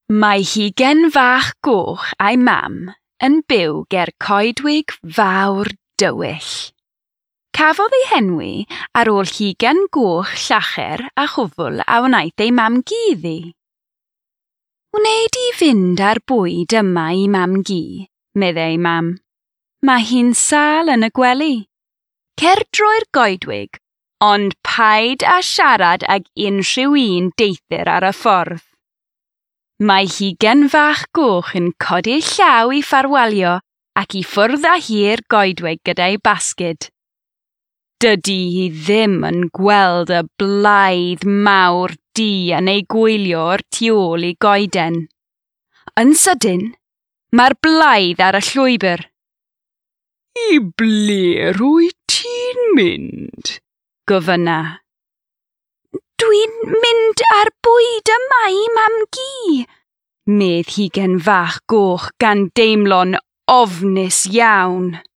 Mae hugen fach goch a'i mam yn byw ger coedwig fawr dywyll. Cafodd ei henwi ar ôl hugen goch llacher a chwfl a wnaeth ei mam-gu iddi. Wnei di fynd â'r bwyd yma i mam-gu, meddai ei mam. Mae hi'n sâl yn y gwely. Cer drwy'r goedwig, ond paid â siarad ag unrhyw un deithir ar y ffordd. Mae hugen fach goch yn codi llaw i ffarwelio ac i ffwrdd â hi'r goedwig gyda'i basged. Dydy hi ddim yn gweld y blaidd mawr du yn ei gwylio o'r tu ôl i goeden. Yn sydyn, mae'r blaidd ar y llwybr. I ble rwy ti'n mynd? Gofynna. Dwi'n mynd ar bwyd yma i mam-gu, medd hugen fach goch gan deimlo'n ofnus iawn.